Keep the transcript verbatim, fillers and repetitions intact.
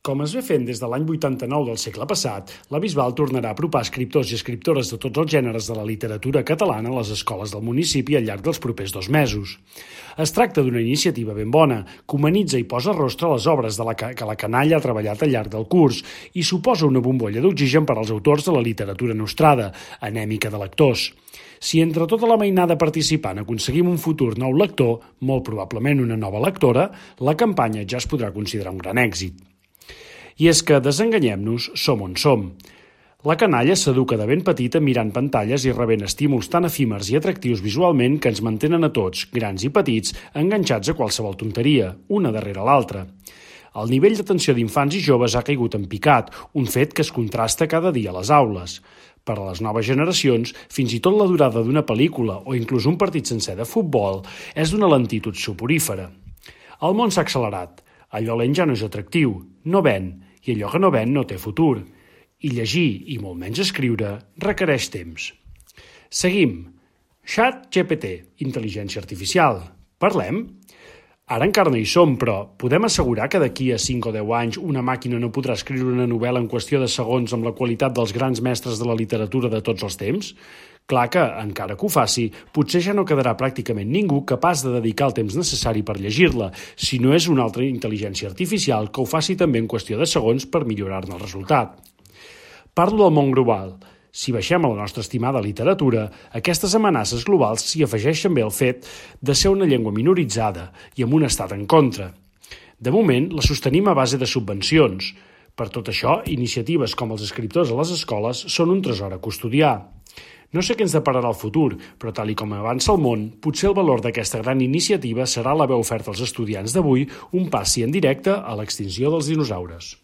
Com es ve fent des de l'any vuitanta-nou del segle passat, la Bisbal tornarà a apropar escriptors i escriptores de tots els gèneres de la literatura catalana a les escoles del municipi al llarg dels propers dos mesos. Es tracta d'una iniciativa ben bona, que humanitza i posa rostre a les obres de la que, que la canalla ha treballat al llarg del curs i suposa una bombolla d'oxigen per als autors de la literatura nostrada, anèmica de lectors. Si entre tota la mainada participant aconseguim un futur nou lector, molt probablement una nova lectora, la campanya ja es podrà considerar un gran èxit. I és que, desenganyem-nos, som on som. La canalla s'educa de ben petita mirant pantalles i rebent estímuls tan efímers i atractius visualment que ens mantenen a tots, grans i petits, enganxats a qualsevol tonteria, una darrere l'altra. El nivell d'atenció d'infants i joves ha caigut en picat, un fet que es contrasta cada dia a les aules. Per a les noves generacions, fins i tot la durada d'una pel·lícula o inclús un partit sencer de futbol és d'una lentitud soporífera. El món s'ha accelerat. Allò lent ja no és atractiu, no ven, i allò que no ven no té futur. I llegir, i molt menys escriure, requereix temps. Seguim. ChatGPT, intel·ligència artificial. Parlem? Ara encara no hi som, però podem assegurar que d'aquí a cinc o deu anys una màquina no podrà escriure una novel·la en qüestió de segons amb la qualitat dels grans mestres de la literatura de tots els temps? Clar que, encara que ho faci, potser ja no quedarà pràcticament ningú capaç de dedicar el temps necessari per llegir-la, si no és una altra intel·ligència artificial que ho faci també en qüestió de segons per millorar-ne el resultat. Parlo del món global. Si baixem a la nostra estimada literatura, aquestes amenaces globals s'hi afegeixen bé el fet de ser una llengua minoritzada i amb un estat en contra. De moment, la sostenim a base de subvencions. Per tot això, iniciatives com els escriptors a les escoles són un tresor a custodiar. No sé què ens depararà el futur, però tal i com avança el món, potser el valor d'aquesta gran iniciativa serà l'haver ofert als estudiants d'avui un passi en directe a l'extinció dels dinosaures.